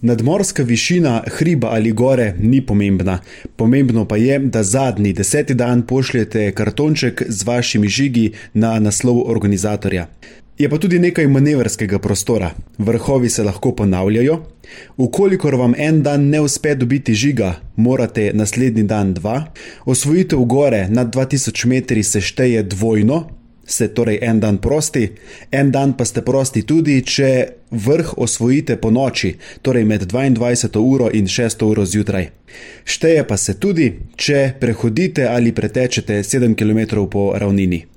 Nadmorska višina hriba ali gore ni pomembna. Pomembno pa je, da zadnji 10. dan pošljete kartonček z vašimi žigi na naslov organizatorja. Je pa tudi nekaj manevrskega prostora. Vrhovi se lahko ponavljajo. Ukolikor vam en dan ne uspe dobiti žiga, morate naslednji dan 2. Osvojitev gore nad 2000 metri se šteje dvojno, ste torej en dan prosti, en dan pa ste prosti tudi, če vrh osvojite po noči, torej med 22. uro in 6. uro zjutraj. Šteje pa se tudi, če prehodite ali pretečete 7 km po ravnini.